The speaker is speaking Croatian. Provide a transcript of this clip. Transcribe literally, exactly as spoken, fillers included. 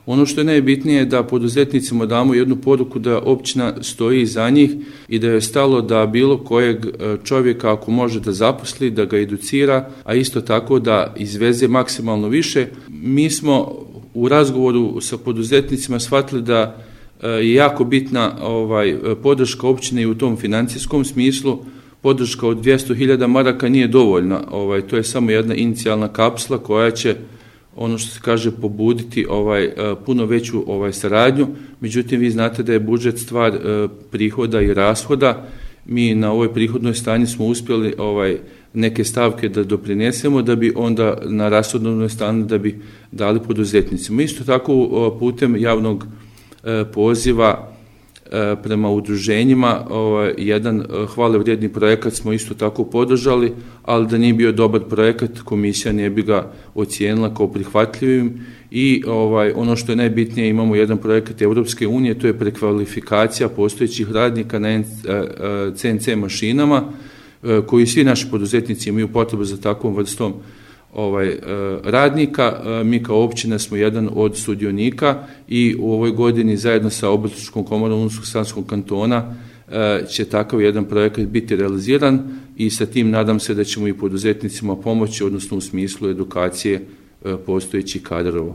Ono što je najbitnije je da poduzetnicima damo jednu poruku da općina stoji iza njih i da je stalo da bilo kojeg čovjeka ako može da zaposli, da ga educira, a isto tako da izveze maksimalno više. Mi smo u razgovoru sa poduzetnicima shvatili da je jako bitna ovaj, podrška općine i u tom financijskom smislu. Podrška od dvjesto hiljada maraka nije dovoljna, ovaj, to je samo jedna inicijalna kapsula koja će, ono što se kaže, pobuditi ovaj, puno veću ovaj, saradnju. Međutim, vi znate da je budžet stvar eh, prihoda i rashoda. Mi na ovoj prihodnoj strani smo uspjeli ovaj, neke stavke da doprinesemo, da bi onda na rashodnoj strani da bi dali poduzetnicima. Isto tako putem javnog eh, poziva prema udruženjima, ovaj, jedan hvale vrijedni projekat smo isto tako podržali, ali da nije bio dobar projekat, komisija ne bi ga ocijenila kao prihvatljivim i ovaj, ono što je najbitnije, imamo jedan projekat Europske unije, to je prekvalifikacija postojećih radnika na C N C mašinama, koji svi naši poduzetnici imaju potrebu za takvom vrstom ovaj, radnika. Mi kao općina smo jedan od sudionika i u ovoj godini zajedno sa Obrtničkom komorom Unsko-sanskog kantona će takav jedan projekat biti realiziran i sa tim nadam se da ćemo i poduzetnicima pomoći, odnosno u smislu edukacije postojećih kadrova.